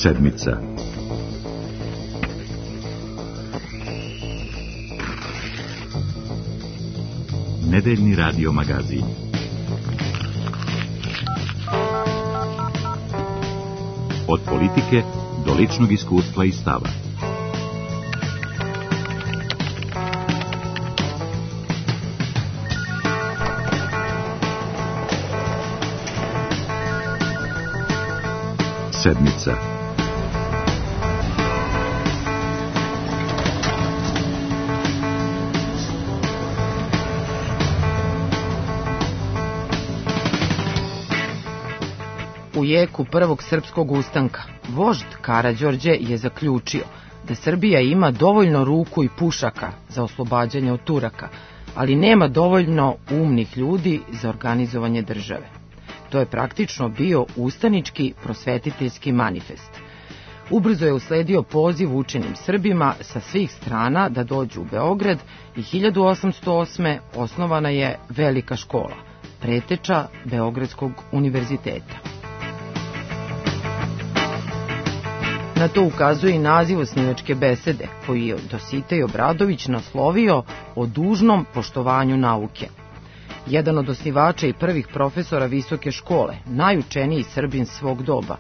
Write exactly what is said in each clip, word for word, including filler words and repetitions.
Sedmica. Nedeljni radio magazin. Od politike do ličnog iskustva i stava. Sedmica. U jeku prvog srpskog ustanka, vožd Karađorđe je zaključio da Srbija ima dovoljno ruku i pušaka za oslobađanje od Turaka, ali nema dovoljno umnih ljudi za organizovanje države. To je praktično bio ustanički prosvetiteljski manifest. Ubrzo je usledio poziv učenim Srbima sa svih strana da dođu u Beograd i hiljadu osamsto osme. osnovana je Velika škola, preteča Beogradskog univerziteta. Na to ukazuje i naziv osnivačke besede, koji je Dositej Obradović naslovio o dužnom poštovanju nauke. Jedan od osnivača i prvih profesora visoke škole, najučeniji Srbin svog doba,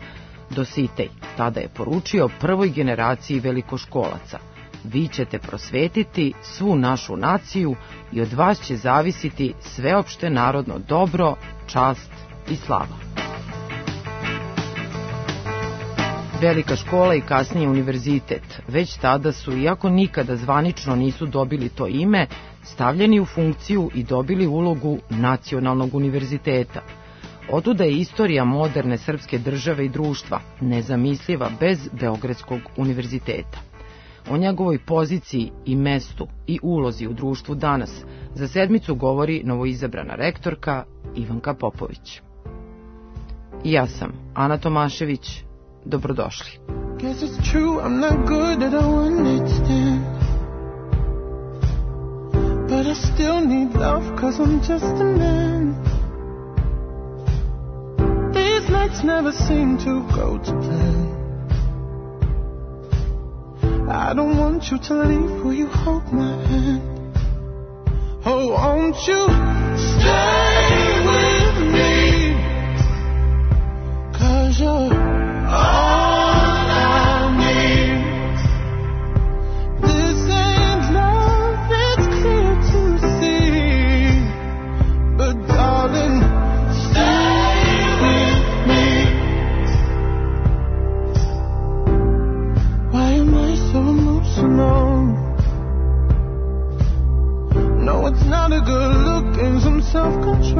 Dositej, tada je poručio prvoj generaciji velikoškolaca: vi ćete prosvetiti svu našu naciju i od vas će zavisiti sveopšte narodno dobro, čast i slava. Velika škola i kasnije univerzitet već tada su, iako nikada zvanično nisu dobili to ime, stavljeni u funkciju i dobili ulogu nacionalnog univerziteta. Otuda je istorija moderne srpske države i društva nezamisliva bez Beogradskog univerziteta. O njegovoj poziciji i mestu i ulozi u društvu danas za Sedmicu govori novoizabrana rektorka Ivanka Popović. I ja sam Ana Tomašević. Dobrodošli. Guess it's true, I'm not good at a one-night stand, but I still need love, cause I'm just a man. These nights never seem to go to plan. I don't want you to leave, will you hold my hand? Oh, won't you stay with me, cause you're all I need. This ain't love, it's clear to see, but darling, stay with me. Why am I so emotional? No, it's not a good look and some self-control.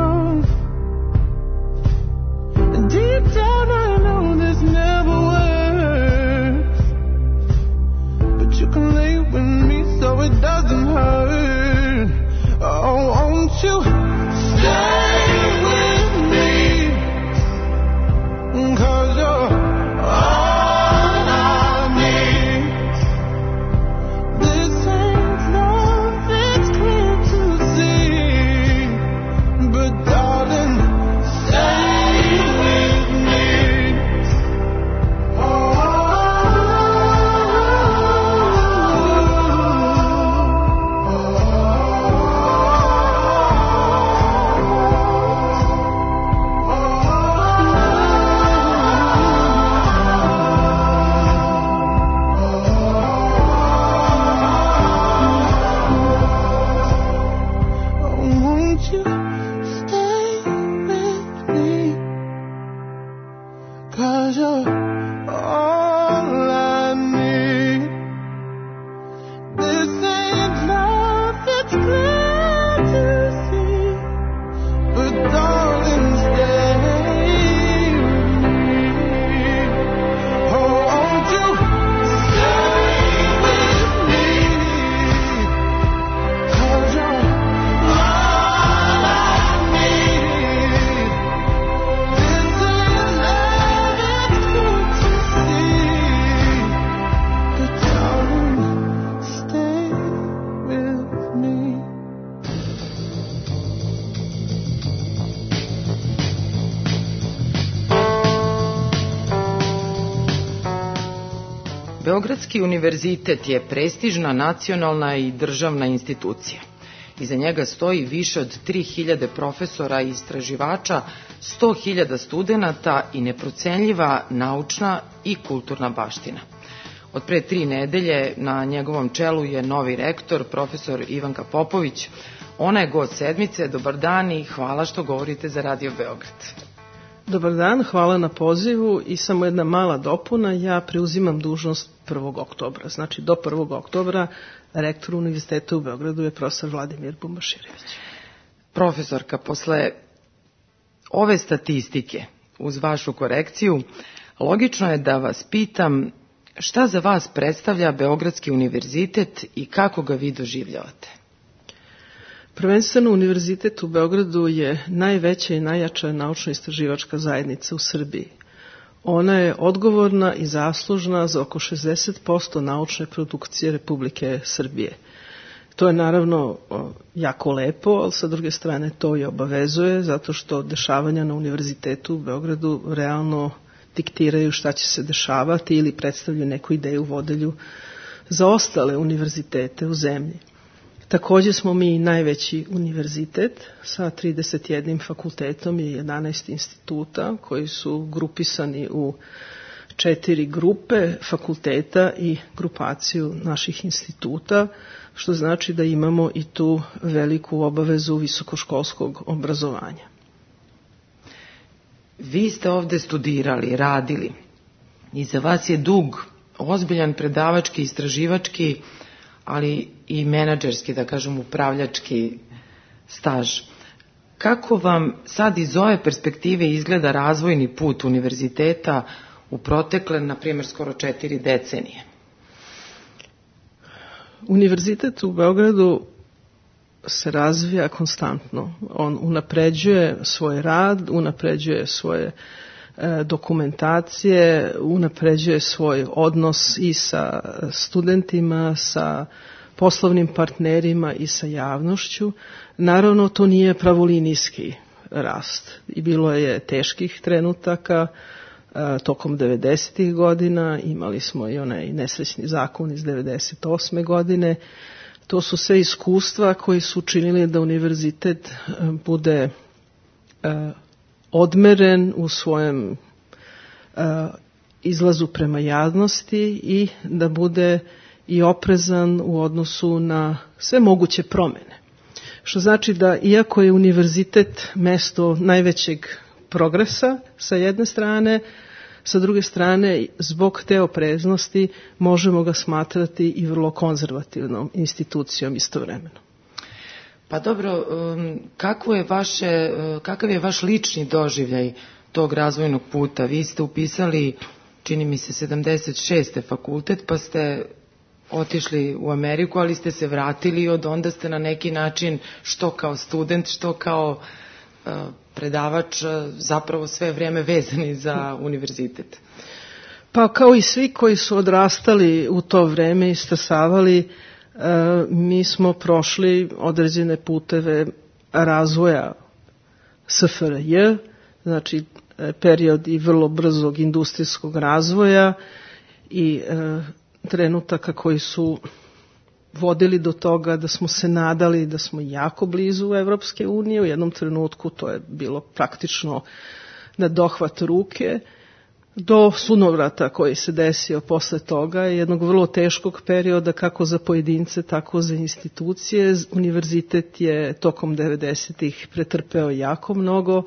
Beogradski univerzitet je prestižna nacionalna i državna institucija. Iza njega stoji više od tri hiljade profesora i istraživača, sto hiljada studenata i neprocenljiva naučna i kulturna baština. Od pre tri nedelje na njegovom čelu je novi rektor, profesor Ivanka Popović. Ona je gost sedmice. Dobar dan i hvala što govorite za Radio Beograd. Dobar dan, hvala na pozivu i samo jedna mala dopuna. Ja preuzimam dužnost prvog oktobra. Znači do prvog oktobra rektor Univerziteta u Beogradu je profesor Vladimir Bumbaširević. Profesorka, posle ove statistike, uz vašu korekciju, logično je da vas pitam šta za vas predstavlja Beogradski univerzitet i kako ga vi doživljavate? Prvenstveno Univerzitet u Beogradu je najveća i najjača naučno-istraživačka zajednica u Srbiji. Ona je odgovorna i zaslužna za oko šezdeset posto naučne produkcije Republike Srbije. To je naravno jako lepo, ali sa druge strane to i obavezuje, zato što dešavanja na Univerzitetu u Beogradu realno diktiraju šta će se dešavati ili predstavljaju neku ideju vodelju za ostale univerzitete u zemlji. Takođe smo mi najveći univerzitet sa trideset jednim fakultetom i jedanaest instituta koji su grupisani u četiri grupe fakulteta i grupaciju naših instituta, što znači da imamo i tu veliku obavezu visokoškolskog obrazovanja. Vi ste ovde studirali, radili i za vas je dug, ozbiljan predavački, istraživački, ali i menadžerski, da kažem, upravljački staž. Kako vam sad iz ove perspektive izgleda razvojni put univerziteta u protekle, na primjer, skoro četiri decenije? Univerzitet u Beogradu se razvija konstantno. On unapređuje svoj rad, unapređuje svoje dokumentacije, unapređuje svoj odnos i sa studentima, sa poslovnim partnerima i sa javnošću. Naravno, to nije pravolinijski rast. I bilo je teških trenutaka tokom devedesetih godina, imali smo i onaj nesrećni zakon iz devedeset osme godine. To su sve iskustva koji su učinili da univerzitet bude odmeren u svojem uh, izlazu prema javnosti i da bude i oprezan u odnosu na sve moguće promene. Što znači da iako je univerzitet mesto najvećeg progresa sa jedne strane, sa druge strane zbog te opreznosti možemo ga smatrati i vrlo konzervativnom institucijom istovremeno. Pa dobro, kako je vaše, kakav je vaš lični doživljaj tog razvojnog puta? Vi ste upisali, čini mi se, sedamdeset šeste fakultet, pa ste otišli u Ameriku, ali ste se vratili i od onda ste na neki način, što kao student, što kao predavač, zapravo sve vrijeme vezani za univerzitet. Pa kao i svi koji su odrastali u to vreme i stasavali, mi smo prošli određene puteve razvoja S F R J, znači period i vrlo brzog industrijskog razvoja i e, trenutaka koji su vodili do toga da smo se nadali da smo jako blizu Evropske unije. U jednom trenutku to je bilo praktično na dohvat ruke, do sunovrata koji se desio posle toga, jednog vrlo teškog perioda kako za pojedince, tako za institucije. Univerzitet je tokom devedesetih pretrpeo jako mnogo,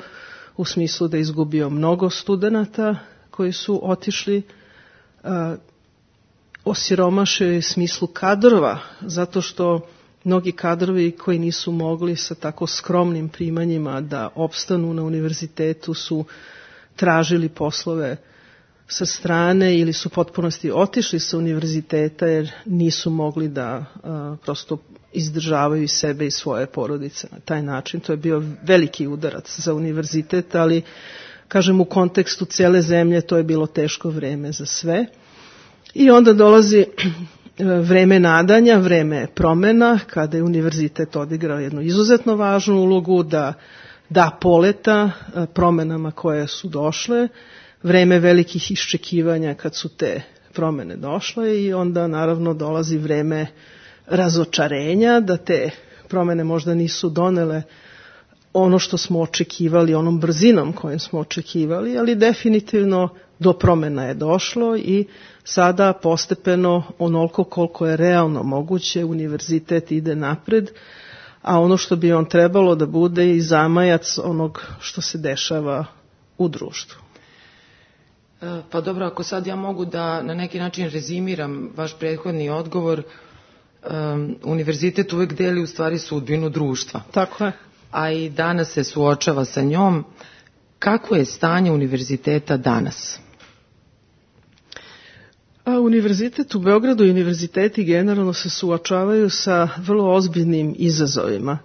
u smislu da je izgubio mnogo studenata koji su otišli, osiromašio je smislu kadrova, zato što mnogi kadrovi koji nisu mogli sa tako skromnim primanjima da opstanu na univerzitetu su tražili poslove sa strane ili su potpunosti otišli sa univerziteta jer nisu mogli da a, prosto izdržavaju sebe i svoje porodice na taj način. To je bio veliki udarac za univerzitet, ali kažem u kontekstu cele zemlje to je bilo teško vreme za sve. I onda dolazi vreme nadanja, vreme promena, kada je univerzitet odigrao jednu izuzetno važnu ulogu da da poleta promenama koje su došle, vreme velikih iščekivanja kad su te promene došle i onda naravno dolazi vreme razočarenja da te promene možda nisu donele ono što smo očekivali, onom brzinom kojom smo očekivali, ali definitivno do promena je došlo i sada postepeno onoliko koliko je realno moguće univerzitet ide napred, a ono što bi on trebalo da bude i zamajac onog što se dešava u društvu. Pa dobro, ako sad ja mogu da na neki način rezimiram vaš prethodni odgovor, um, univerzitet uvek deli u stvari sudbinu društva. Tako je. A i danas se suočava sa njom. Kako je stanje univerziteta danas? A univerzitet u Beogradu i univerziteti generalno se suočavaju sa vrlo ozbiljnim izazovima.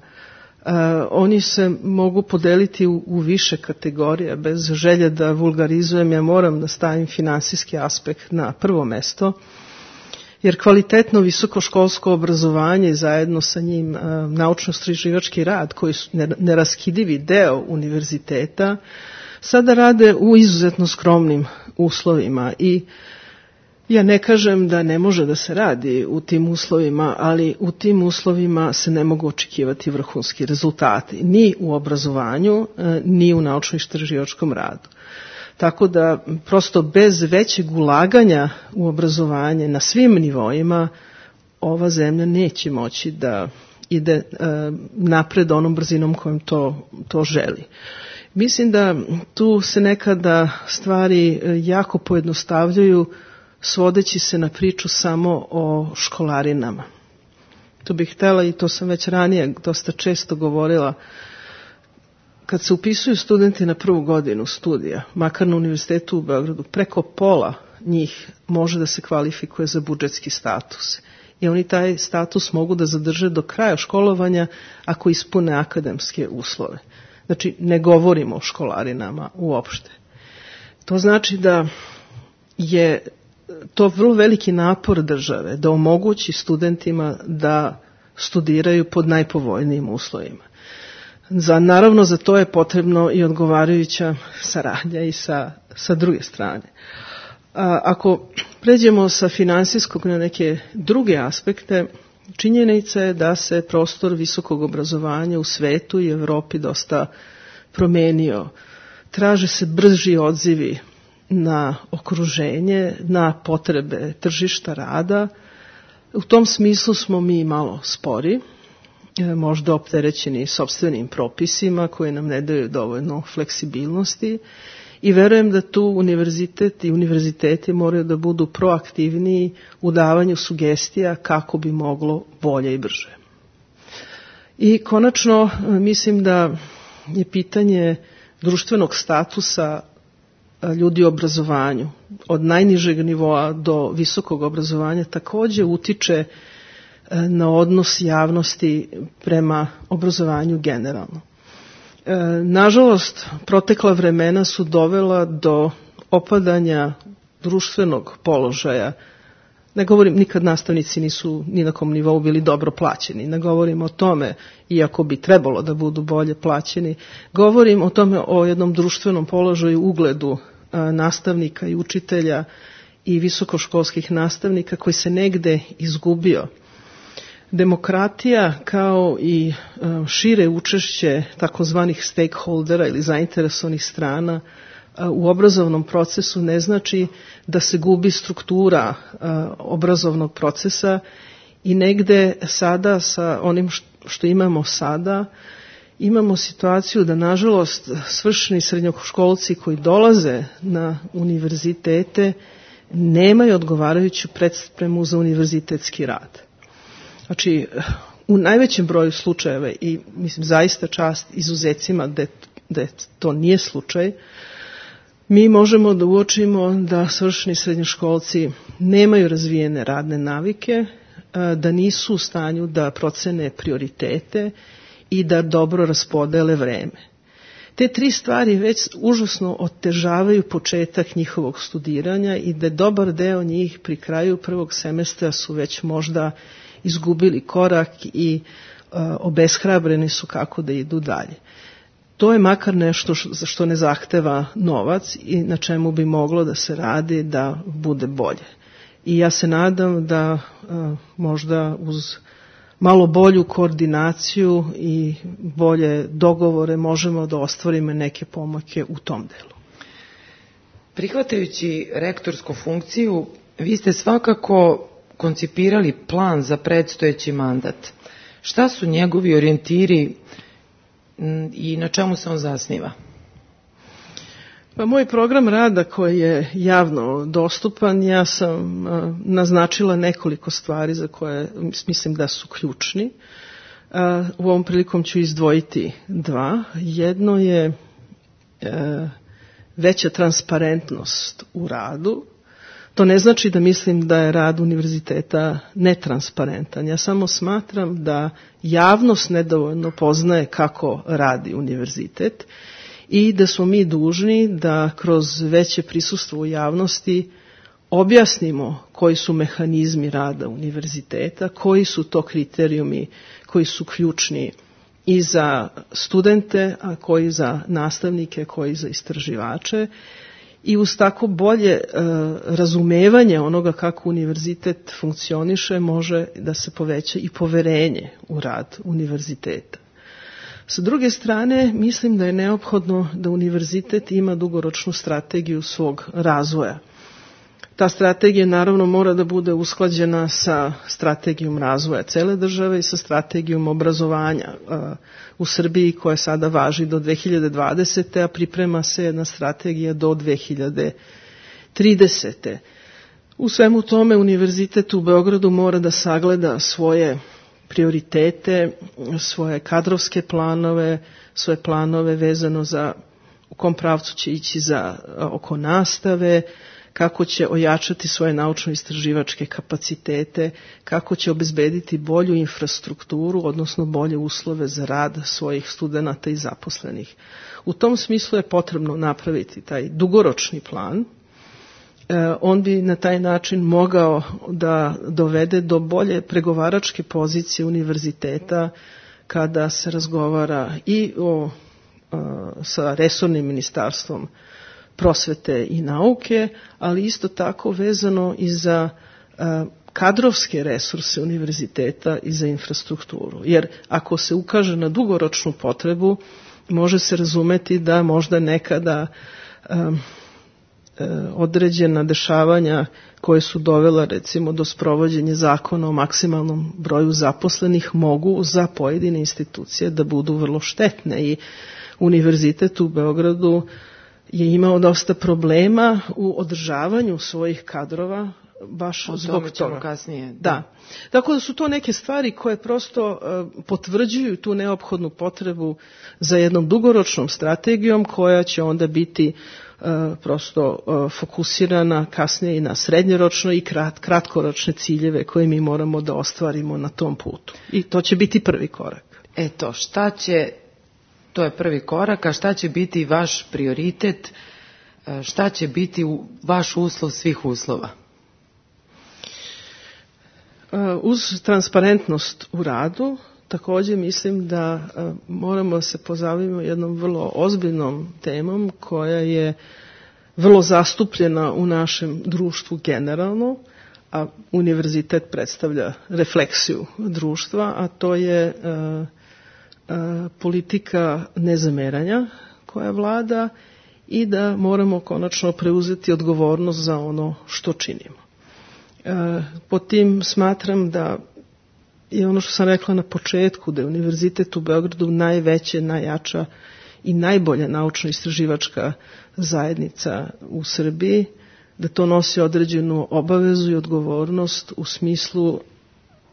Uh, oni se mogu podeliti u, u više kategorija. Bez želje da vulgarizujem, ja moram da stavim finansijski aspekt na prvo mesto, jer kvalitetno visokoškolsko obrazovanje zajedno sa njim uh, naučno-istraživački rad, koji su neraskidivi deo univerziteta, sada rade u izuzetno skromnim uslovima i ja ne kažem da ne može da se radi u tim uslovima, ali u tim uslovima se ne mogu očekivati vrhunski rezultati, ni u obrazovanju, ni u naučno-istraživačkom radu. Tako da prosto bez većeg ulaganja u obrazovanje na svim nivoima ova zemlja neće moći da ide napred onom brzinom kojom to, to želi. Mislim da tu se nekada stvari jako pojednostavljaju svodeći se na priču samo o školarinama. To bih htjela i to sam već ranije dosta često govorila. Kad se upisuju studenti na prvu godinu studija, makar na univerzitetu u Beogradu, preko pola njih može da se kvalifikuje za budžetski status. I oni taj status mogu da zadrže do kraja školovanja ako ispune akademske uslove. Znači, ne govorimo o školarinama uopšte. To znači da je to vrlo veliki napor države da omogući studentima da studiraju pod najpovoljnijim uslovima. Za, naravno, za to je potrebno i odgovarajuća saradnja i sa, sa druge strane. A, ako pređemo sa finansijskog na neke druge aspekte, činjenica je da se prostor visokog obrazovanja u svetu i Evropi dosta promenio. Traže se brži odzivi na okruženje, na potrebe tržišta rada. U tom smislu smo mi malo spori, možda opterećeni sopstvenim propisima koji nam ne daju dovoljno fleksibilnosti i verujem da tu univerzitet i univerziteti moraju da budu proaktivniji u davanju sugestija kako bi moglo bolje i brže. I konačno mislim da je pitanje društvenog statusa ljudi u obrazovanju, od najnižeg nivoa do visokog obrazovanja, također utiče na odnos javnosti prema obrazovanju generalno. Nažalost, protekla vremena su dovela do opadanja društvenog položaja. Ne govorim, nikad nastavnici nisu ni na kom nivou bili dobro plaćeni. Ne govorim o tome, iako bi trebalo da budu bolje plaćeni. Govorim o tome, o jednom društvenom položaju, ugledu a, nastavnika i učitelja i visokoškolskih nastavnika koji se negde izgubio. Demokratija kao i a, šire učešće takozvanih stakeholdera ili zainteresovanih strana u obrazovnom procesu ne znači da se gubi struktura a, obrazovnog procesa i negde sada sa onim što imamo sada imamo situaciju da nažalost svršeni srednjoškolci koji dolaze na univerzitete nemaju odgovarajuću predspremu za univerzitetski rad. Znači, u najvećem broju slučajeva i mislim zaista čast izuzecima da, da to nije slučaj, mi možemo da uočimo da svršeni srednjoškolci nemaju razvijene radne navike, da nisu u stanju da procene prioritete i da dobro raspodele vreme. Te tri stvari već užasno otežavaju početak njihovog studiranja i da dobar deo njih pri kraju prvog semestra su već možda izgubili korak i uh, obeshrabreni su kako da idu dalje. To je makar nešto za što ne zahteva novac i na čemu bi moglo da se radi da bude bolje. i ja se nadam da možda uz malo bolju koordinaciju i bolje dogovore možemo da ostvarimo neke pomake u tom delu. Prihvatajući rektorsku funkciju, vi ste svakako koncipirali plan za predstojeći mandat. Šta su njegovi orijentiri i na čemu se on zasniva? Pa moj program rada koji je javno dostupan, ja sam a, naznačila nekoliko stvari za koje mislim da su ključni. A, u ovom prilikom ću izdvojiti dva. Jedno je a, veća transparentnost u radu. To ne znači da mislim da je rad univerziteta netransparentan. Ja samo smatram da javnost nedovoljno poznaje kako radi univerzitet i da smo mi dužni da kroz veće prisustvo u javnosti objasnimo koji su mehanizmi rada univerziteta, koji su to kriterijumi koji su ključni i za studente, a koji za nastavnike, koji za istraživače. I uz tako bolje e, razumevanje onoga kako univerzitet funkcioniše može da se poveća i poverenje u rad univerziteta. Sa druge strane, mislim da je neophodno da univerzitet ima dugoročnu strategiju svog razvoja. Ta strategija naravno mora da bude usklađena sa strategijom razvoja cele države i sa strategijom obrazovanja u Srbiji koja sada važi do dve hiljade dvadesete. a priprema se jedna strategija do dve hiljade tridesete. U svemu tome univerzitet u Beogradu mora da sagleda svoje prioritete, svoje kadrovske planove, svoje planove vezano za u kom pravcu će ići za oko nastave, kako će ojačati svoje naučno-istraživačke kapacitete, kako će obezbediti bolju infrastrukturu, odnosno bolje uslove za rad svojih studenata i zaposlenih. U tom smislu je potrebno napraviti taj dugoročni plan. On bi na taj način mogao da dovede do bolje pregovaračke pozicije univerziteta kada se razgovara i o, sa resornim ministarstvom prosvete i nauke, ali isto tako vezano i za kadrovske resurse univerziteta i za infrastrukturu. Jer ako se ukaže na dugoročnu potrebu, može se razumeti da možda nekada um, određena dešavanja koje su dovela recimo do sprovođenja zakona o maksimalnom broju zaposlenih mogu za pojedine institucije da budu vrlo štetne i univerzitet u Beogradu je imao dosta problema u održavanju svojih kadrova baš o zbog toga. Kasnije. Da. Tako da su to neke stvari koje prosto uh, potvrđuju tu neophodnu potrebu za jednom dugoročnom strategijom koja će onda biti uh, prosto uh, fokusirana kasnije i na srednjoročno i krat, kratkoročne ciljeve koje mi moramo da ostvarimo na tom putu. I to će biti prvi korak. Eto, šta će, to je prvi korak, a šta će biti vaš prioritet, šta će biti vaš uslov svih uslova? Uz transparentnost u radu, također mislim da moramo se pozabaviti jednom vrlo ozbiljnom temom koja je vrlo zastupljena u našem društvu generalno, a univerzitet predstavlja refleksiju društva, a to je uh, uh, politika nezameranja koja vlada i da moramo konačno preuzeti odgovornost za ono što činimo. Uh, po tim smatram da je ono što sam rekla na početku, da je univerzitet u Beogradu najveća, najjača i najbolja naučno-istraživačka zajednica u Srbiji, da to nosi određenu obavezu i odgovornost u smislu,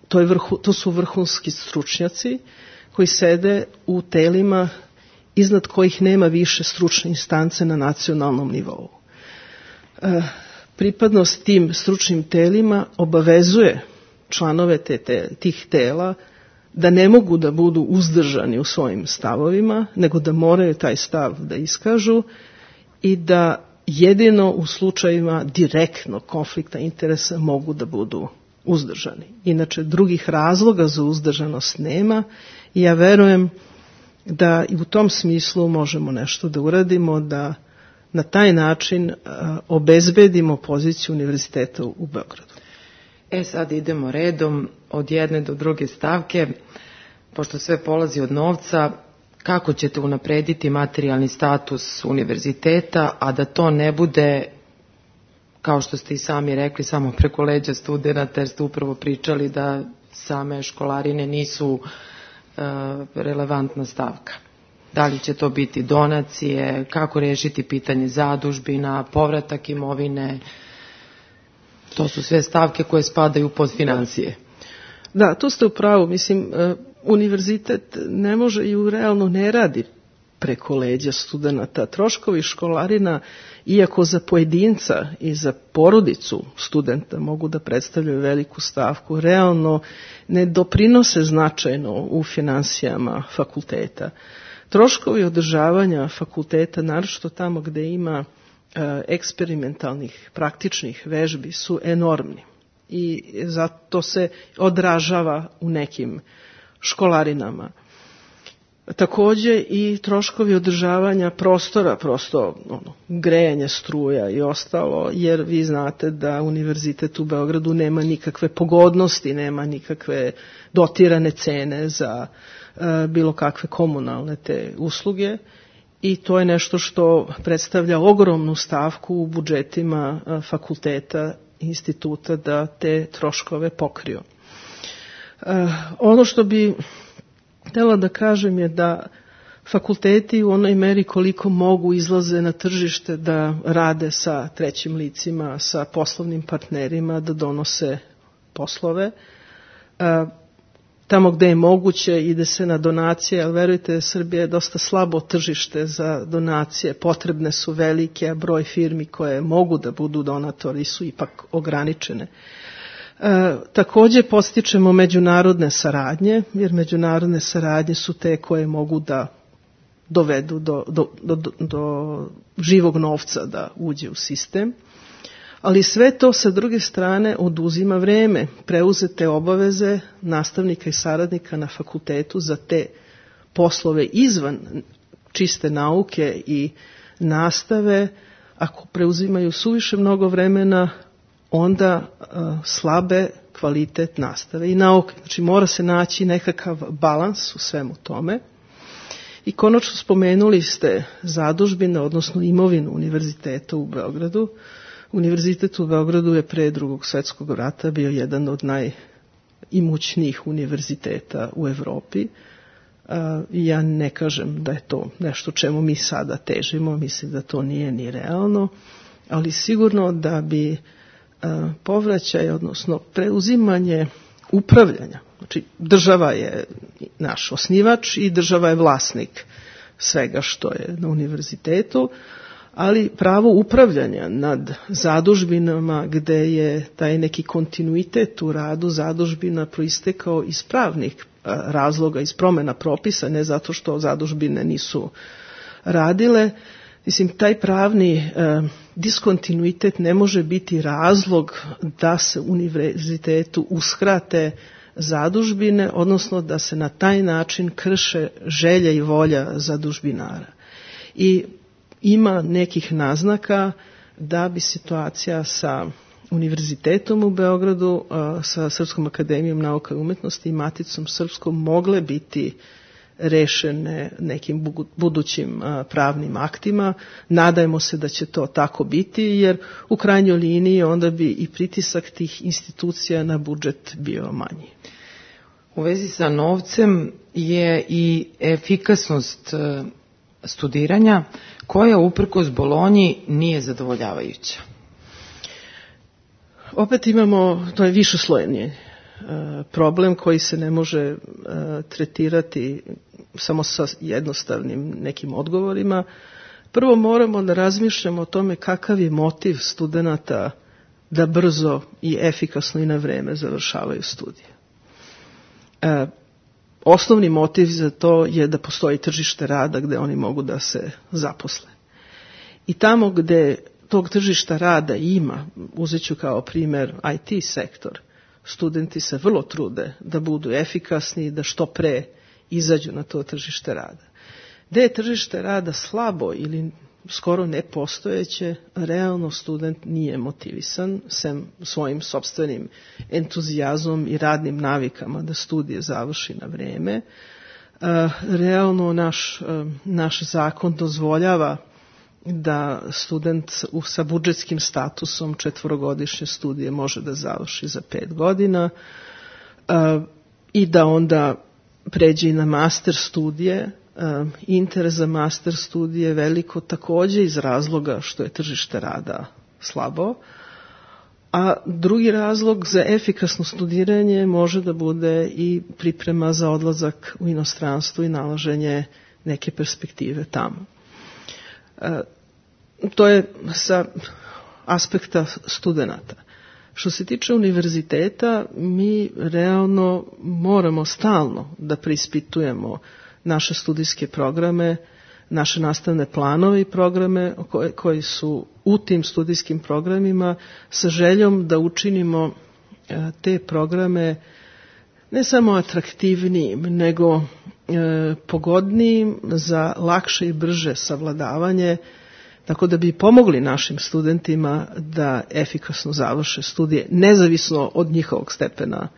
to, je vrhu, to su vrhunski stručnjaci koji sede u telima iznad kojih nema više stručne instance na nacionalnom nivou. E, pripadnost tim stručnim telima obavezuje članove te, te, tih tela da ne mogu da budu uzdržani u svojim stavovima, nego da moraju taj stav da iskažu i da jedino u slučajima direktnog konflikta interesa mogu da budu uzdržani. Inače, drugih razloga za uzdržanost nema i ja verujem da i u tom smislu možemo nešto da uradimo, da na taj način obezbedimo poziciju univerziteta u Beogradu. E sad idemo redom od jedne do druge stavke, pošto sve polazi od novca. Kako ćete unaprediti materijalni status univerziteta, a da to ne bude, kao što ste i sami rekli, samo preko leđa studenata, jer ste upravo pričali da same školarine nisu uh, relevantna stavka? Da li će to biti donacije, kako rešiti pitanje zadužbina, povratak imovine? To su sve stavke koje spadaju pod financije. Da, tu ste u pravu. Mislim, univerzitet ne može i realno ne radi preko leđa studenta. Troškovi školarina, iako za pojedinca i za porodicu studenta mogu da predstavljaju veliku stavku, realno ne doprinose značajno u finansijama fakulteta. Troškovi održavanja fakulteta, naročito tamo gde ima e, eksperimentalnih, praktičnih vežbi, su enormni. I zato se odražava u nekim školarinama. Takođe i troškovi održavanja prostora, prosto ono, grejanje struja i ostalo, jer vi znate da univerzitet u Beogradu nema nikakve pogodnosti, nema nikakve dotirane cene za e, bilo kakve komunalne te usluge i to je nešto što predstavlja ogromnu stavku u budžetima e, fakulteta, instituta da te troškove pokriju. E, ono što bi htela da kažem je da fakulteti u onoj meri koliko mogu izlaze na tržište da rade sa trećim licima, sa poslovnim partnerima, da donose poslove. E, tamo gde je moguće ide se na donacije, ali verujte, Srbija je dosta slabo tržište za donacije, potrebne su velike, a broj firmi koje mogu da budu donatori su ipak ograničene. E, takođe podstičemo međunarodne saradnje, jer međunarodne saradnje su te koje mogu da dovedu do, do, do, do živog novca da uđe u sistem, ali sve to sa druge strane oduzima vreme, preuzete obaveze nastavnika i saradnika na fakultetu za te poslove izvan čiste nauke i nastave, ako preuzimaju suviše mnogo vremena, onda uh, slabe kvalitet nastave i nauke. Znači mora se naći nekakav balans u svemu tome. I konačno spomenuli ste zadužbine, odnosno imovinu univerziteta u Beogradu. Univerzitet u Beogradu je pre Drugog svetskog rata bio jedan od najimućnijih univerziteta u Evropi. Uh, ja ne kažem da je to nešto čemu mi sada težimo, mislim da to nije ni realno, ali sigurno da bi povraćaj, odnosno preuzimanje upravljanja. Znači, država je naš osnivač i država je vlasnik svega što je na univerzitetu, ali pravo upravljanja nad zadužbinama gde je taj neki kontinuitet u radu zadužbina proistekao iz pravnih razloga, iz promena propisa, ne zato što zadužbine nisu radile. Mislim, taj pravni e, diskontinuitet ne može biti razlog da se univerzitetu uskrate zadužbine, odnosno da se na taj način krše želja i volja zadužbinara. I ima nekih naznaka da bi situacija sa univerzitetom u Beogradu, e, sa Srpskom akademijom nauka i umetnosti i Maticom srpskom mogle biti rešene nekim budućim pravnim aktima. Nadajmo se da će to tako biti, jer u krajnjoj liniji onda bi i pritisak tih institucija na budžet bio manji. U vezi sa novcem je i efikasnost studiranja, koja uprkos Bolonji nije zadovoljavajuća. Opet imamo, to je višeslojni problem koji se ne može uh, tretirati samo sa jednostavnim nekim odgovorima. Prvo moramo da razmišljamo o tome kakav je motiv studenata da brzo i efikasno i na vreme završavaju studije. Uh, osnovni motiv za to je da postoji tržište rada gde oni mogu da se zaposle. I tamo gde tog tržišta rada ima, uzet ću kao primer I T sektor, studenti se vrlo trude da budu efikasni i da što pre izađu na to tržište rada. Gde je tržište rada slabo ili skoro nepostojeće, realno student nije motivisan, sem svojim sopstvenim entuzijazmom i radnim navikama da studije završi na vreme. Realno naš, naš zakon dozvoljava da student sa budžetskim statusom četvorogodišnje studije može da završi za pet godina i da onda pređe i na master studije. Interes za master studije veliko takođe iz razloga što je tržište rada slabo, a drugi razlog za efikasno studiranje može da bude i priprema za odlazak u inostranstvo i nalaženje neke perspektive tamo. To je sa aspekta studenata. Što se tiče univerziteta, mi realno moramo stalno da preispitujemo naše studijske programe, naše nastavne planove i programe koji, koji su u tim studijskim programima sa željom da učinimo te programe ne samo atraktivnijim, nego e, pogodnijim za lakše i brže savladavanje, tako da bi pomogli našim studentima da efikasno završe studije, nezavisno od njihovog stepena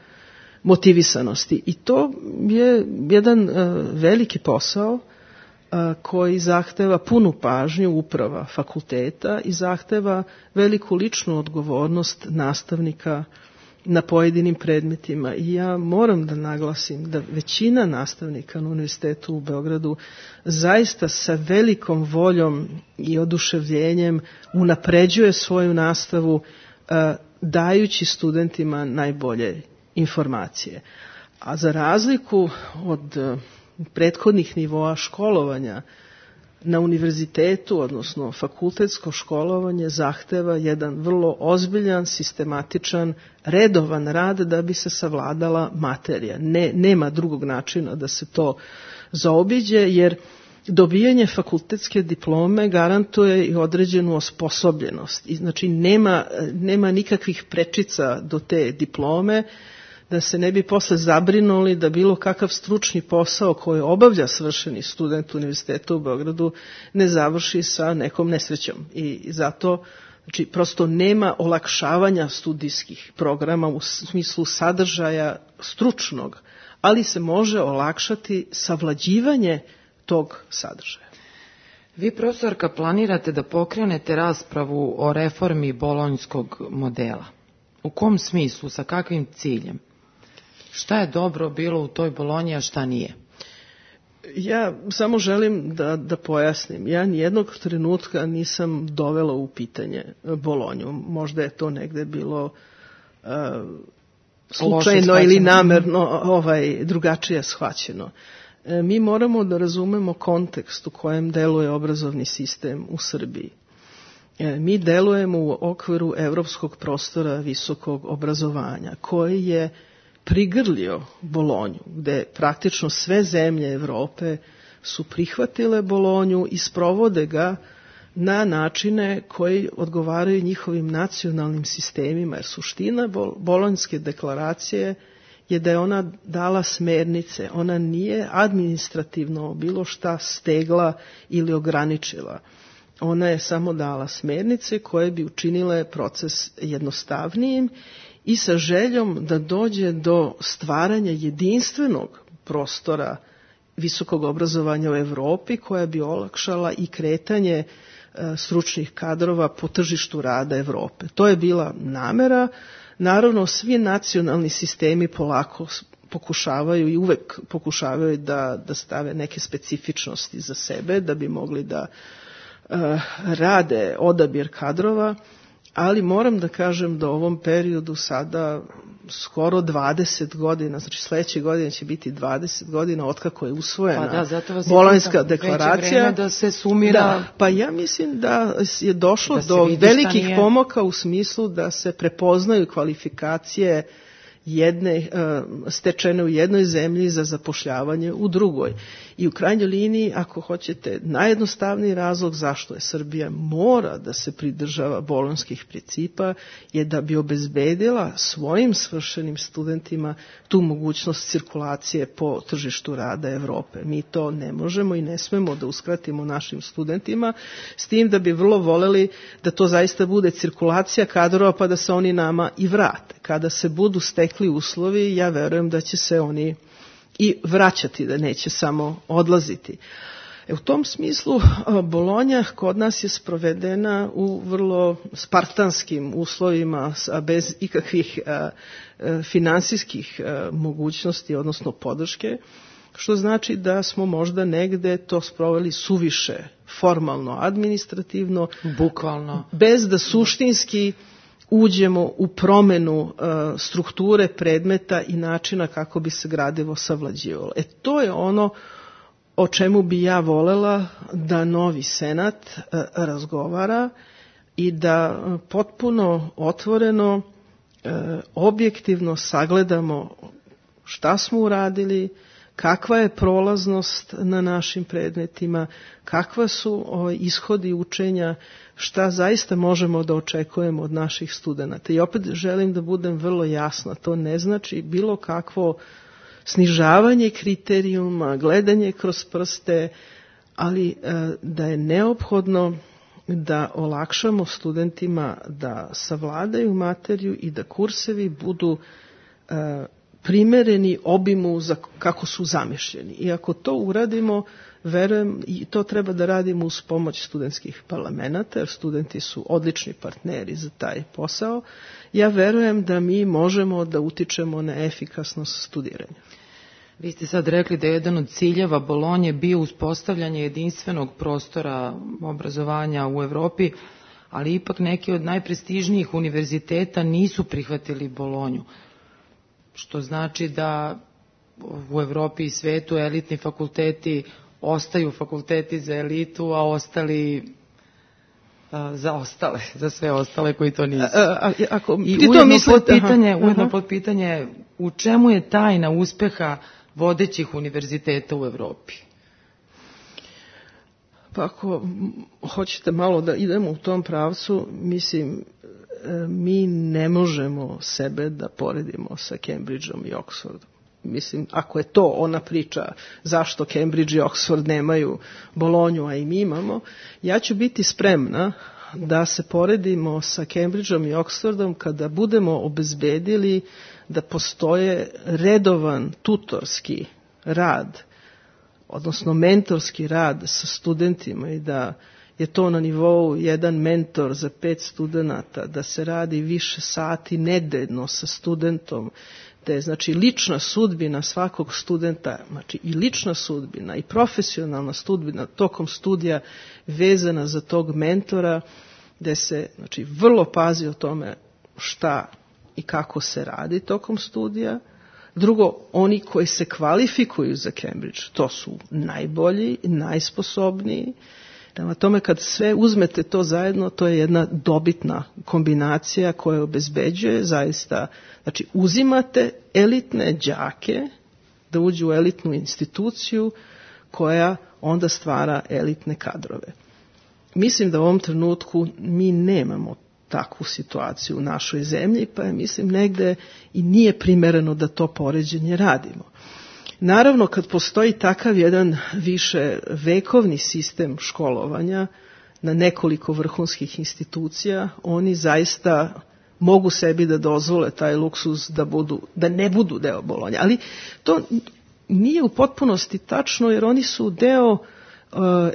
motivisanosti. I to je jedan uh, veliki posao uh, koji zahteva punu pažnju uprava fakulteta i zahteva veliku ličnu odgovornost nastavnika na pojedinim predmetima. I ja moram da naglasim da većina nastavnika na Univerzitetu u Beogradu zaista sa velikom voljom i oduševljenjem unapređuje svoju nastavu uh, dajući studentima najbolje informacije. A za razliku od uh, prethodnih nivoa školovanja, na univerzitetu, odnosno fakultetsko školovanje, zahteva jedan vrlo ozbiljan, sistematičan, redovan rad da bi se savladala materija. Ne, nema drugog načina da se to zaobiđe, jer dobijanje fakultetske diplome garantuje i određenu osposobljenost. I znači nema, nema nikakvih prečica do te diplome, da se ne bi posle zabrinuli da bilo kakav stručni posao koji obavlja svršeni student Univerziteta u Beogradu ne završi sa nekom nesrećom. I zato znači, prosto nema olakšavanja studijskih programa u smislu sadržaja stručnog, ali se može olakšati savlađivanje tog sadržaja. Vi, profesorka, planirate da pokrenete raspravu o reformi bolonjskog modela. U kom smislu, sa kakvim ciljem? Šta je dobro bilo u toj Bolonji, a šta nije? Ja samo želim da, da pojasnim. Ja nijednog trenutka nisam dovela u pitanje Bolonju. Možda je to negde bilo uh, slučajno ili namerno ovaj, drugačije shvaćeno. E, mi moramo da razumemo kontekst u kojem deluje obrazovni sistem u Srbiji. E, mi delujemo u okviru evropskog prostora visokog obrazovanja, koji je prigrlio Bolonju, gde praktično sve zemlje Evrope su prihvatile Bolonju i sprovode ga na načine koji odgovaraju njihovim nacionalnim sistemima, jer suština Bolonjske deklaracije je da je ona dala smernice, ona nije administrativno bilo šta stegla ili ograničila. Ona je samo dala smernice koje bi učinile proces jednostavnijim i sa željom da dođe do stvaranja jedinstvenog prostora visokog obrazovanja u Evropi koja bi olakšala i kretanje e, stručnih kadrova po tržištu rada Evrope. To je bila namera. Naravno, svi nacionalni sistemi polako pokušavaju i uvek pokušavaju da, da stave neke specifičnosti za sebe, da bi mogli da e, rade odabir kadrova, ali moram da kažem da u ovom periodu sada skoro dvadeset godina, znači sledeće godine će biti dvadeset godina otkako je usvojena pa da, Bolonjska deklaracija. Već da se sumira. Da, pa ja mislim da je došlo da do velikih pomaka u smislu da se prepoznaju kvalifikacije jedne, stečene u jednoj zemlji za zapošljavanje u drugoj. I u krajnjoj liniji, ako hoćete, najjednostavniji razlog zašto je Srbija mora da se pridržava bolonjskih principa je da bi obezbedila svojim svršenim studentima tu mogućnost cirkulacije po tržištu rada Evrope. Mi to ne možemo i ne smemo da uskratimo našim studentima, s tim da bi vrlo voleli da to zaista bude cirkulacija kadrova pa da se oni nama i vrate. Kada se budu stekli uslovi, ja verujem da će se oni i vraćati, da neće samo odlaziti. E, u tom smislu Bolonja kod nas je sprovedena u vrlo spartanskim uslovima, a bez ikakvih a, a, finansijskih a, mogućnosti, odnosno podrške, što znači da smo možda negde to sproveli suviše formalno, administrativno, bukvalno, bez da suštinski uđemo u promenu uh, strukture predmeta i načina kako bi se gradivo savlađivalo. E to je ono o čemu bi ja volela da novi senat uh, razgovara i da uh, potpuno otvoreno, uh, objektivno sagledamo šta smo uradili, kakva je prolaznost na našim predmetima, kakva su o, ishodi učenja, šta zaista možemo da očekujemo od naših studenata. I opet želim da budem vrlo jasna, to ne znači bilo kakvo snižavanje kriterijuma, gledanje kroz prste, ali e, da je neophodno da olakšamo studentima da savladaju materiju i da kursevi budu e, primereni obimu za kako su zamišljeni. I ako to uradimo, verujem, i to treba da radimo uz pomoć studentskih parlamenta, jer studenti su odlični partneri za taj posao, ja verujem da mi možemo da utičemo na efikasnost studiranja. Vi ste sad rekli da je jedan od ciljeva Bolonje bio uspostavljanje jedinstvenog prostora obrazovanja u Evropi, ali ipak neki od najprestižnijih univerziteta nisu prihvatili Bolonju, što znači da u Evropi i svetu elitni fakulteti ostaju fakulteti za elitu, a ostali a, za ostale, za sve ostale koji to nisu. A, a, ako, I ujedno, misli, pod pitanje, aha, ujedno aha. pod pitanje u čemu je tajna uspeha vodećih univerziteta u Evropi? Pa ako hoćete malo da idemo u tom pravcu, mislim, mi ne možemo sebe da poredimo sa Cambridgeom i Oxfordom. Mislim, ako je to ona priča zašto Cambridge i Oxford nemaju Bolonju, a i mi imamo, ja ću biti spremna da se poredimo sa Cambridgeom i Oxfordom kada budemo obezbedili da postoje redovan tutorski rad, odnosno mentorski rad sa studentima i da je to na nivou jedan mentor za pet studenata, da se radi više sati nedeljno sa studentom, da je znači lična sudbina svakog studenta, znači i lična sudbina i profesionalna sudbina tokom studija vezana za tog mentora, da se znači vrlo pazi o tome šta i kako se radi tokom studija. Drugo, oni koji se kvalifikuju za Cambridge, to su najbolji, najsposobniji. Prema tome, kad sve uzmete to zajedno, to je jedna dobitna kombinacija koja obezbeđuje zaista, znači uzimate elitne đake da uđu u elitnu instituciju koja onda stvara elitne kadrove. Mislim da u ovom trenutku mi nemamo takvu situaciju u našoj zemlji, pa je mislim negde i nije primereno da to poređenje radimo. Naravno, kad postoji takav jedan više vekovni sistem školovanja na nekoliko vrhunskih institucija, oni zaista mogu sebi da dozvole taj luksuz da, budu, da ne budu deo Bolonje. Ali to nije u potpunosti tačno, jer oni su deo uh,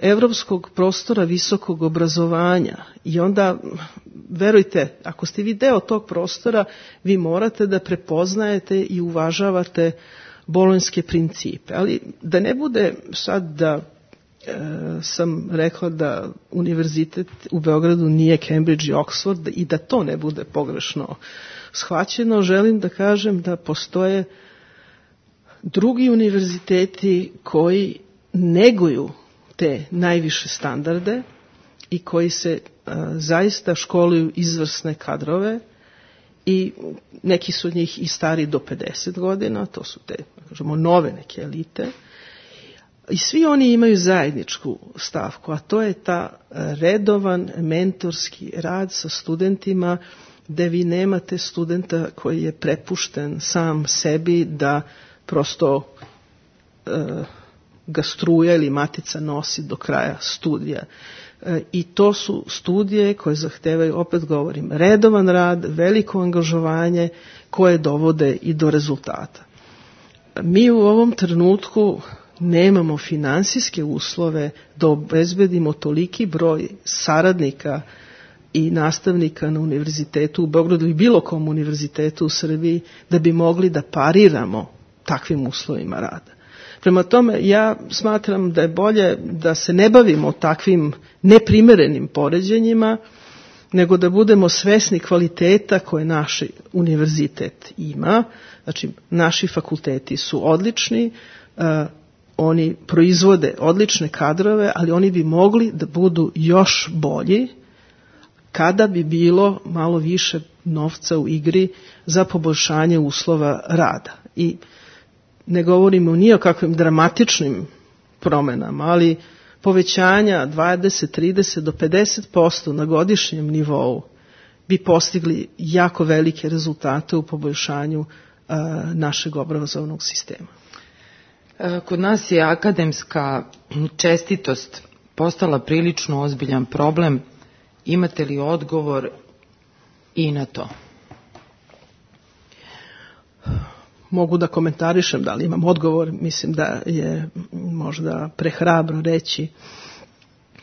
evropskog prostora visokog obrazovanja. I onda, verujte, ako ste vi deo tog prostora, vi morate da prepoznajete i uvažavate bolonjske principe. Ali da ne bude sad da e, sam rekla da univerzitet u Beogradu nije Cambridge i Oxford i da to ne bude pogrešno shvaćeno, želim da kažem da postoje drugi univerziteti koji neguju te najviše standarde i koji se e, zaista školuju izvrsne kadrove i neki su od njih i stari do pedeset godina, to su te, kažemo, nove neke elite. I svi oni imaju zajedničku stavku, a to je ta redovan mentorski rad sa studentima, gde vi nemate studenta koji je prepušten sam sebi da prosto e, ga struja ili matica nosi do kraja studija. E, I to su studije koje zahtevaju, opet govorim, redovan rad, veliko angažovanje koje dovode i do rezultata. Mi u ovom trenutku nemamo finansijske uslove da obezbedimo toliki broj saradnika i nastavnika na univerzitetu u Beogradu i bilo kom univerzitetu u Srbiji da bi mogli da pariramo takvim uslovima rada. Prema tome, ja smatram da je bolje da se ne bavimo takvim neprimerenim poređenjima, nego da budemo svesni kvaliteta koje naš univerzitet ima. Znači, naši fakulteti su odlični, uh, oni proizvode odlične kadrove, ali oni bi mogli da budu još bolji kada bi bilo malo više novca u igri za poboljšanje uslova rada. I ne govorimo ni o kakvim dramatičnim promenama, ali povećanja dvadeset, trideset do pedeset posto na godišnjem nivou bi postigli jako velike rezultate u poboljšanju a, našeg obrazovnog sistema. Kod nas je akademska čestitost postala prilično ozbiljan problem. Imate li odgovor i na to? Mogu da komentarišem, da li imam odgovor, mislim da je možda prehrabro reći.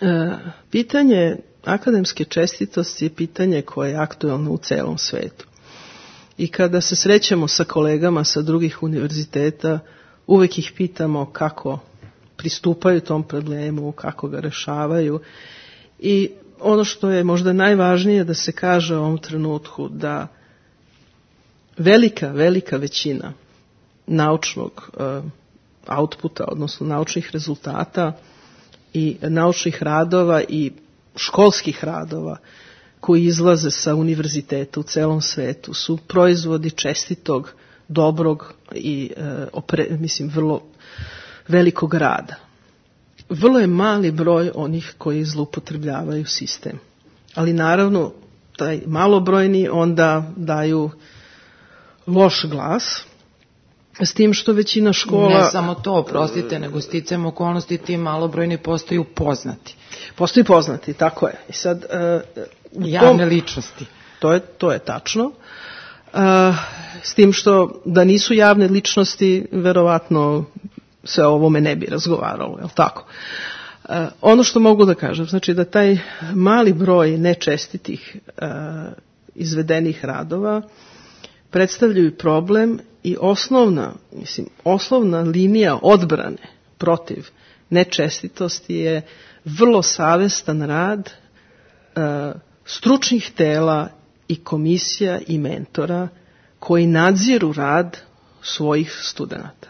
E, pitanje akademske čestitosti je pitanje koje je aktuelno u celom svetu. I kada se srećemo sa kolegama sa drugih univerziteta, uvek ih pitamo kako pristupaju tom problemu, kako ga rešavaju. I ono što je možda najvažnije da se kaže u ovom trenutku, da velika, velika većina naučnog uh, outputa, odnosno naučnih rezultata i naučnih radova i školskih radova koji izlaze sa univerziteta u celom svetu su proizvodi čestitog, dobrog i uh, opre, mislim vrlo velikog rada. Vrlo je mali broj onih koji zloupotrebljavaju sistem. Ali naravno, taj malobrojni onda daju loš glas, s tim što većina škola... Ne samo to, oprostite, nego sticajem okolnosti ti malobrojni postaju poznati. Postaju poznati, tako je. I sad, uh, javne tom, ličnosti. To je, to je tačno. Uh, s tim što da nisu javne ličnosti, verovatno se o ovome ne bi razgovaralo, je li tako? Uh, ono što mogu da kažem, znači da taj mali broj nečestitih uh, izvedenih radova predstavljaju problem i osnovna, mislim, osnovna linija odbrane protiv nečestitosti je vrlo savestan rad uh, stručnih tela i komisija i mentora koji nadziru rad svojih studenata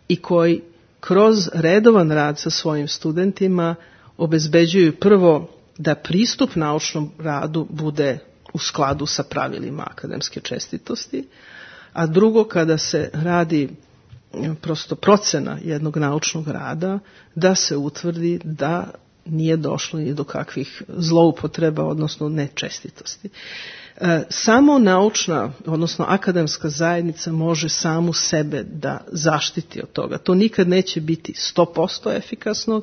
i koji kroz redovan rad sa svojim studentima obezbeđuju prvo da pristup naučnom radu bude u skladu sa pravilima akademske čestitosti, a drugo kada se radi prosto procena jednog naučnog rada, da se utvrdi da nije došlo ni do kakvih zloupotreba, odnosno nečestitosti. E, samo naučna, odnosno akademska zajednica može samu sebe da zaštiti od toga. To nikad neće biti sto posto efikasno.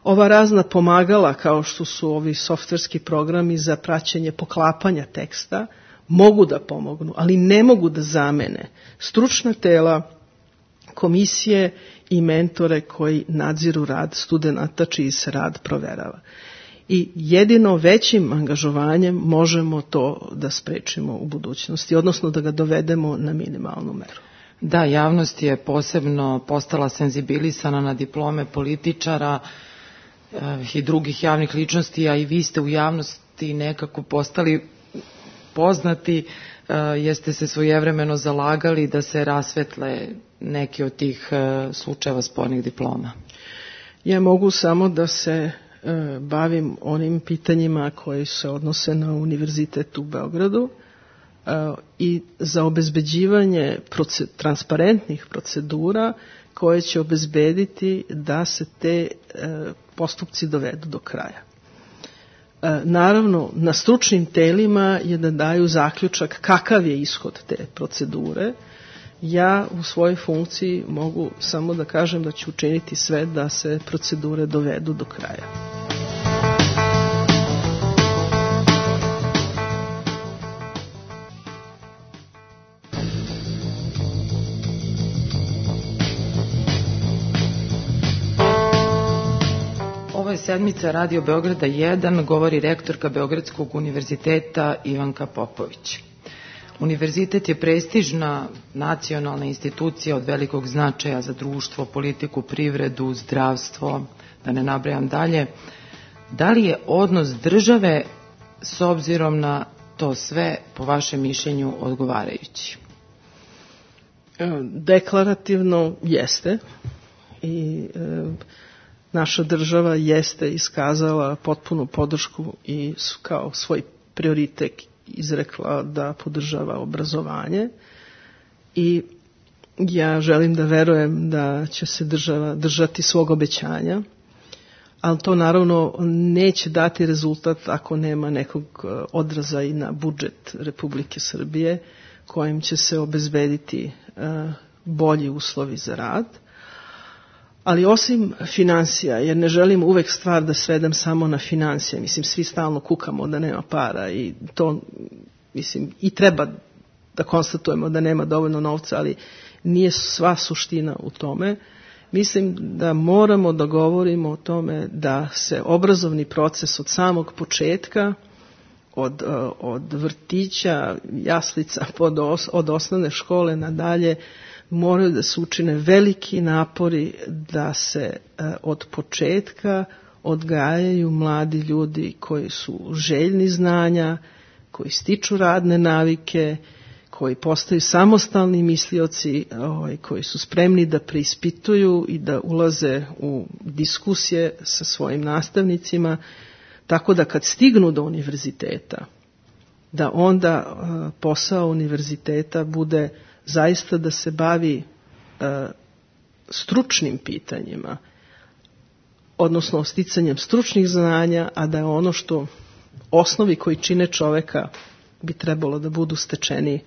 Ova razna pomagala, kao što su ovi softverski programi za praćenje poklapanja teksta, mogu da pomognu, ali ne mogu da zamene stručna tela, komisije i mentore koji nadziru rad studenata čiji se rad proverava. I jedino većim angažovanjem možemo to da sprečimo u budućnosti, odnosno da ga dovedemo na minimalnu meru. Da, javnost je posebno postala senzibilisana na diplome političara i drugih javnih ličnosti, a i vi ste u javnosti nekako postali poznati, jeste se svojevremeno zalagali da se rasvetle neki od tih slučajeva spornih diploma. Ja mogu samo da se bavim onim pitanjima koji se odnose na Univerzitet u Beogradu, i za obezbeđivanje proce- transparentnih procedura koje će obezbediti da se te postupci dovedu do kraja. Naravno, na stručnim telima je da daju zaključak kakav je ishod te procedure. Ja u svojoj funkciji mogu samo da kažem da ću učiniti sve da se procedure dovedu do kraja. Ovo je sedmica Radio Beograda jedan, govori rektorka Beogradskog univerziteta Ivanka Popović. Univerzitet je prestižna nacionalna institucija od velikog značaja za društvo, politiku, privredu, zdravstvo, da ne nabrajam dalje. Da li je odnos države s obzirom na to sve, po vašem mišljenju, odgovarajući? Deklarativno jeste i e, naša država jeste iskazala potpunu podršku i kao svoj prioritet izrekla da podržava obrazovanje i ja želim da verujem da će se država držati svog obećanja, ali to naravno neće dati rezultat ako nema nekog odraza i na budžet Republike Srbije kojim će se obezbediti bolji uslovi za rad. Ali osim finansija, jer ne želim uvek stvar da svedem samo na finansije, mislim, svi stalno kukamo da nema para i to, mislim, i treba da konstatujemo da nema dovoljno novca, ali nije sva suština u tome. Mislim da moramo da govorimo o tome da se obrazovni proces od samog početka, od, od vrtića, jaslica, od osnovne škole nadalje, moraju da se učine veliki napori da se od početka odgajaju mladi ljudi koji su željni znanja, koji stiču radne navike, koji postaju samostalni mislioci, koji su spremni da preispituju i da ulaze u diskusije sa svojim nastavnicima, tako da kad stignu do univerziteta, da onda posao univerziteta bude zaista da se bavi e, stručnim pitanjima, odnosno sticanjem stručnih znanja, a da je ono što osnovi koji čine čoveka bi trebalo da budu stečeni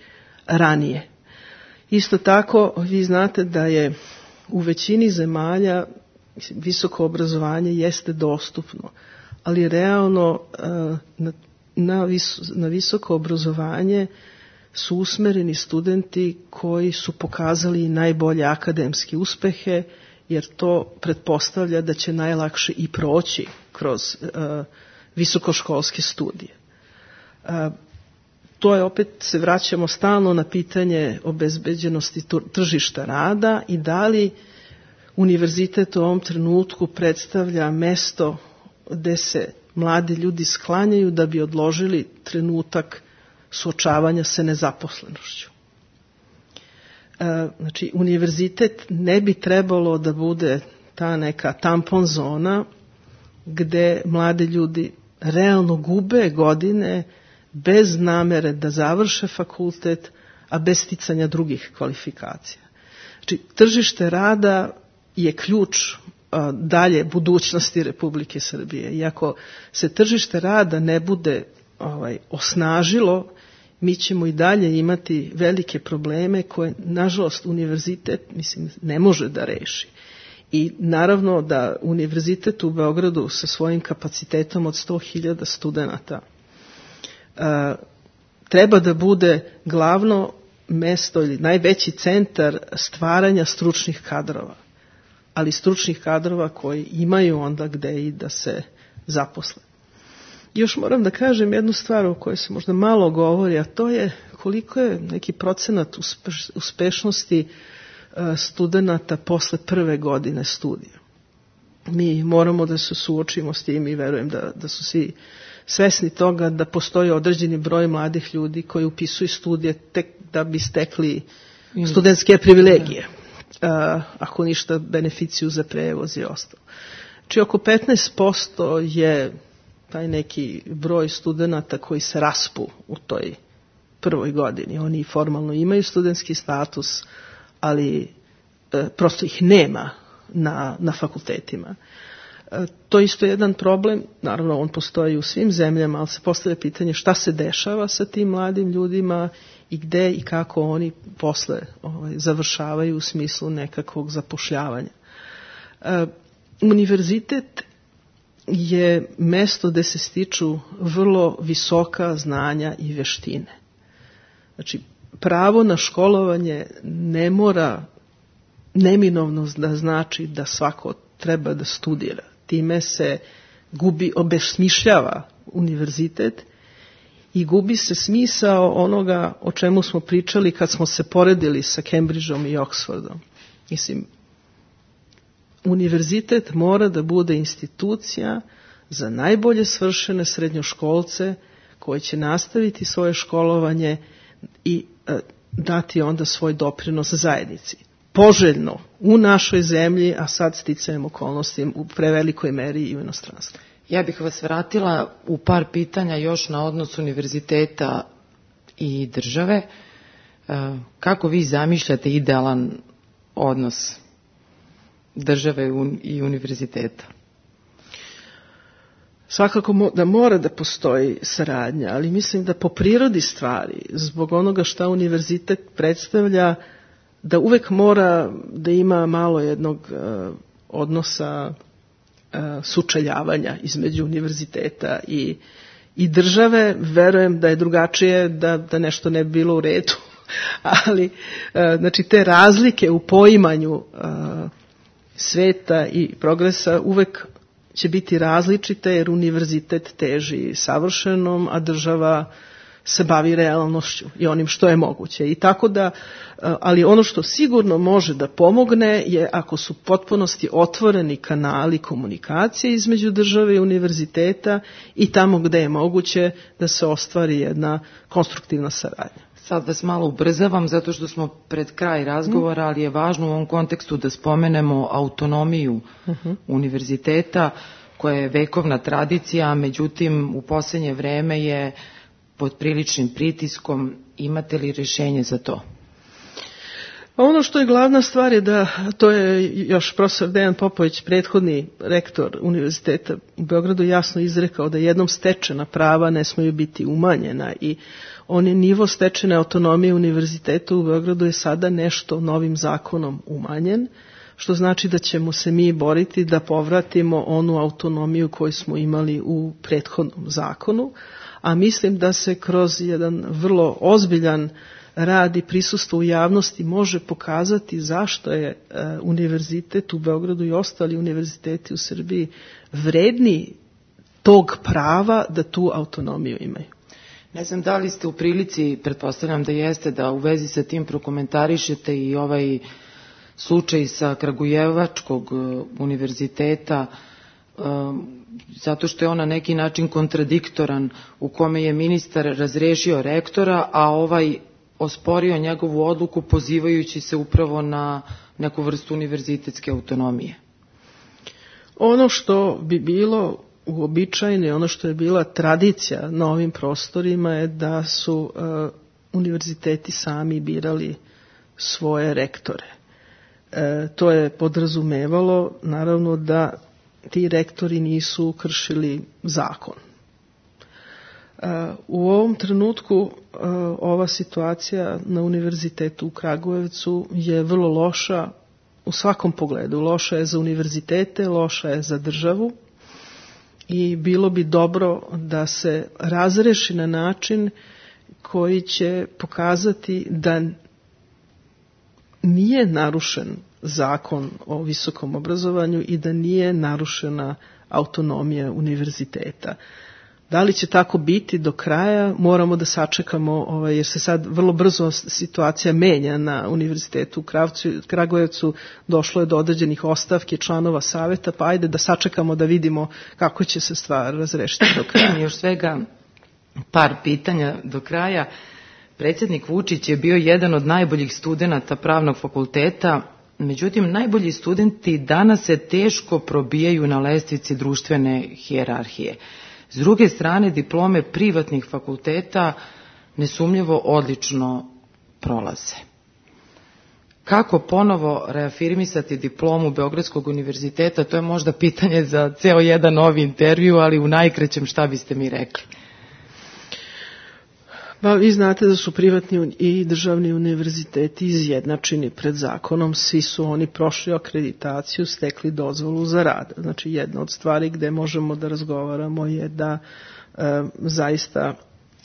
ranije. Isto tako, vi znate da je u većini zemalja visoko obrazovanje jeste dostupno, ali realno e, na, na, vis, na visoko obrazovanje su usmereni studenti koji su pokazali najbolje akademske uspehe, jer to pretpostavlja da će najlakše i proći kroz uh, visokoškolske studije. Uh, to je, opet se vraćamo stalno na pitanje obezbeđenosti tržišta rada i da li univerzitet u ovom trenutku predstavlja mesto gde se mladi ljudi sklanjaju da bi odložili trenutak suočavanja sa nezaposlenošću. E, znači, univerzitet ne bi trebalo da bude ta neka tampon zona gde mladi ljudi realno gube godine bez namere da završe fakultet, a bez sticanja drugih kvalifikacija. Znači, tržište rada je ključ a, dalje budućnosti Republike Srbije. I ako se tržište rada ne bude ovaj, osnažilo, mi ćemo i dalje imati velike probleme koje, nažalost, univerzitet, mislim, ne može da reši. I naravno da univerzitet u Beogradu sa svojim kapacitetom od sto hiljada studenata uh, treba da bude glavno mesto ili najveći centar stvaranja stručnih kadrova, ali stručnih kadrova koji imaju onda gde i da se zaposle. Još moram da kažem jednu stvar o kojoj se možda malo govori, a to je koliko je neki procenat uspeš, uspešnosti studenata posle prve godine studija. Mi moramo da se suočimo s tim i verujem da, da su svi svesni toga da postoji određeni broj mladih ljudi koji upisuju studije tek da bi stekli studentske privilegije. A, ako ništa, beneficiju za prevoz i ostalo. Či oko petnaest posto je taj neki broj studenata koji se raspu u toj prvoj godini. Oni formalno imaju studentski status, ali e, prosto ih nema na, na fakultetima. E, to je isto jedan problem, naravno on postoji u svim zemljama, ali se postavlja pitanje šta se dešava sa tim mladim ljudima i gde i kako oni posle ovaj, završavaju u smislu nekakvog zapošljavanja. E, univerzitet je mesto gde se stiču vrlo visoka znanja i veštine. Znači, pravo na školovanje ne mora neminovno da znači da svako treba da studira. Time se gubi, obesmišljava univerzitet i gubi se smisao onoga o čemu smo pričali kad smo se poredili sa Cambridgeom i Oxfordom. Mislim, univerzitet mora da bude institucija za najbolje svršene srednjoškolce koji će nastaviti svoje školovanje i e, dati onda svoj doprinos zajednici. Poželjno u našoj zemlji, a sad sticajem okolnosti u prevelikoj meri i u inostranstvu. Ja bih vas vratila u par pitanja još na odnos univerziteta i države. E, kako vi zamišljate idealan odnos države i univerziteta? Svakako da mora da postoji saradnja, ali mislim da po prirodi stvari, zbog onoga šta univerzitet predstavlja, da uvek mora da ima malo jednog uh, odnosa uh, sučeljavanja između univerziteta i, i države. Verujem da je drugačije, da, da nešto ne bi bilo u redu, ali uh, znači te razlike u poimanju uh, sveta i progresa uvek će biti različite, jer univerzitet teži savršenom, a država se bavi realnošću i onim što je moguće. I tako da, ali ono što sigurno može da pomogne je ako su potpunosti otvoreni kanali komunikacije između države i univerziteta i tamo gde je moguće da se ostvari jedna konstruktivna saradnja. Sad vas malo ubrzavam zato što smo pred kraj razgovora, ali je važno u ovom kontekstu da spomenemo autonomiju uh-huh. univerziteta koja je vekovna tradicija, međutim u posljednje vreme je pod priličnim pritiskom. Imate li rješenje za to? Ono što je glavna stvar je da, to je još profesor Dejan Popović, prethodni rektor univerziteta u Beogradu, jasno izrekao da jednom stečena prava ne smiju biti umanjena i on je nivo stečene autonomije univerziteta u Beogradu je sada nešto novim zakonom umanjen, što znači da ćemo se mi boriti da povratimo onu autonomiju koju smo imali u prethodnom zakonu, a mislim da se kroz jedan vrlo ozbiljan rad i prisustvo u javnosti može pokazati zašto je uh, univerzitet u Beogradu i ostali univerziteti u Srbiji vredni tog prava da tu autonomiju imaju. Ne znam da li ste u prilici, pretpostavljam da jeste, da u vezi sa tim prokomentarišete i ovaj slučaj sa Kragujevačkog univerziteta, zato što je on na neki način kontradiktoran, u kome je ministar razrešio rektora, a ovaj osporio njegovu odluku pozivajući se upravo na neku vrstu univerzitetske autonomije. Ono što bi bilo uobičajeno, ono što je bila tradicija na ovim prostorima je da su uh, univerziteti sami birali svoje rektore. E, to je podrazumevalo naravno da ti rektori nisu kršili zakon. E, u ovom trenutku e, ova situacija na univerzitetu u Kragujevcu je vrlo loša u svakom pogledu. Loša je za univerzitete, loša je za državu i bilo bi dobro da se razreši na način koji će pokazati da nije narušen zakon o visokom obrazovanju i da nije narušena autonomija univerziteta. Da li će tako biti do kraja, moramo da sačekamo, ovaj, jer se sad vrlo brzo situacija menja na univerzitetu u Kravcu, Kragujevcu, došlo je do određenih ostavki članova saveta, pa ajde da sačekamo da vidimo kako će se stvar razrešiti do kraja. Još svega par pitanja do kraja. Predsjednik Vučić je bio jedan od najboljih studenata pravnog fakulteta, međutim najbolji studenti danas se teško probijaju na lestvici društvene hijerarhije. S druge strane, diplome privatnih fakulteta nesumnjivo odlično prolaze. Kako ponovo reafirmisati diplomu Beogradskog univerziteta, to je možda pitanje za ceo jedan novi intervju, ali u najkraćem šta biste mi rekli? Ba, vi znate da su privatni i državni univerziteti izjednačeni pred zakonom, svi su oni prošli akreditaciju, stekli dozvolu za rad. Znači jedna od stvari gde možemo da razgovaramo je da e, zaista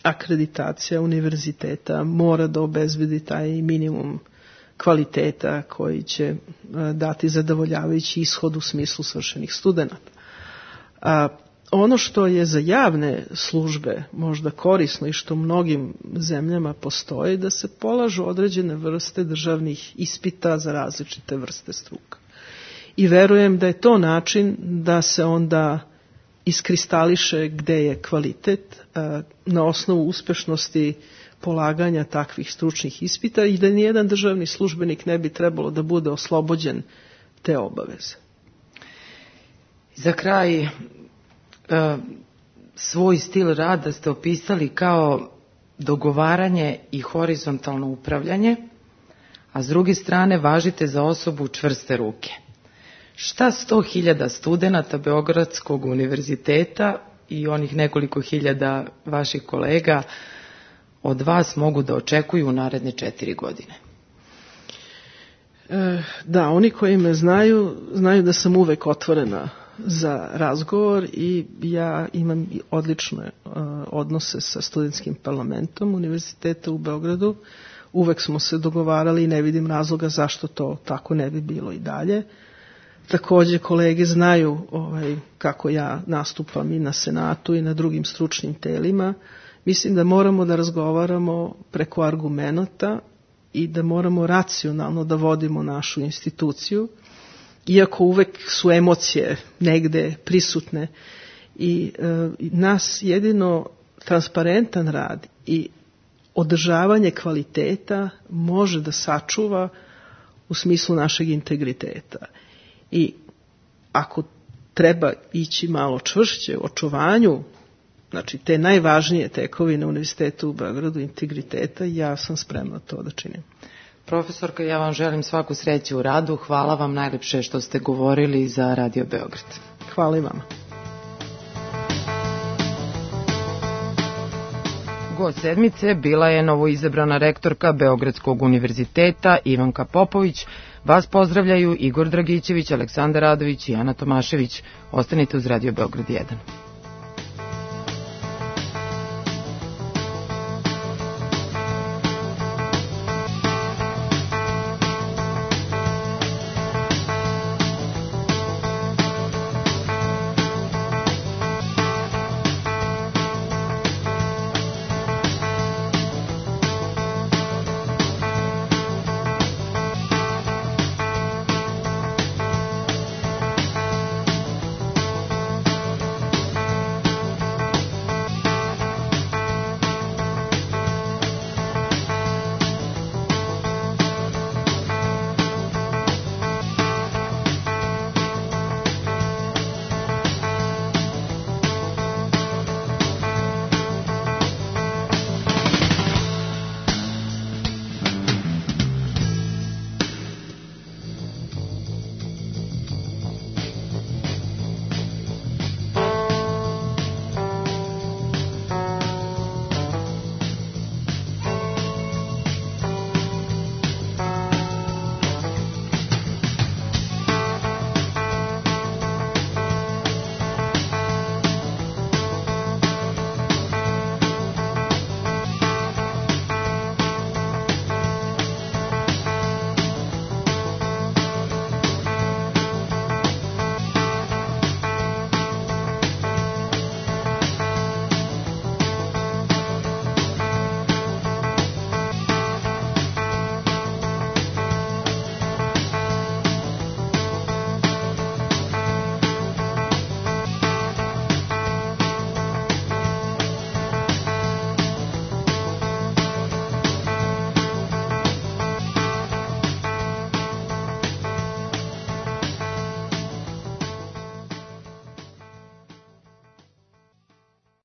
akreditacija univerziteta mora da obezbedi taj minimum kvaliteta koji će e, dati zadovoljavajući ishod u smislu svršenih studenta. A ono što je za javne službe možda korisno i što u mnogim zemljama postoji, da se polažu određene vrste državnih ispita za različite vrste struka. I verujem da je to način da se onda iskristališe gde je kvalitet na osnovu uspešnosti polaganja takvih stručnih ispita i da nijedan državni službenik ne bi trebalo da bude oslobođen te obaveze. Za kraj, svoj stil rada ste opisali kao dogovaranje i horizontalno upravljanje, a s druge strane važite za osobu čvrste ruke. Šta sto hiljada studenata Beogradskog univerziteta i onih nekoliko hiljada vaših kolega od vas mogu da očekuju u naredne četiri godine? E, da, oni koji me znaju, znaju da sam uvek otvorena za razgovor i ja imam odlične uh, odnose sa studentskim parlamentom Univerziteta u Beogradu. Uvek smo se dogovarali i ne vidim razloga zašto to tako ne bi bilo i dalje. Takođe kolege znaju ovaj, kako ja nastupam i na Senatu i na drugim stručnim telima. Mislim da moramo da razgovaramo preko argumenata i da moramo racionalno da vodimo našu instituciju, iako uvek su emocije negde prisutne i e, nas jedino transparentan rad i održavanje kvaliteta može da sačuva u smislu našeg integriteta. I ako treba ići malo čvršće u očuvanju, znači te najvažnije tekovine Univerziteta u Beogradu, integriteta, ja sam spremna to da činim. Profesorka, ja vam želim svaku sreću u radu. Hvala vam najlepše što ste govorili za Radio Beograd. Hvala i vama. Gost sedmice bila je novoizabrana rektorka Beogradskog univerziteta Ivanka Popović. Vas pozdravljaju Igor Dragićević, Aleksandar Radović i Ana Tomašević. Ostanite uz Radio Beograd jedan.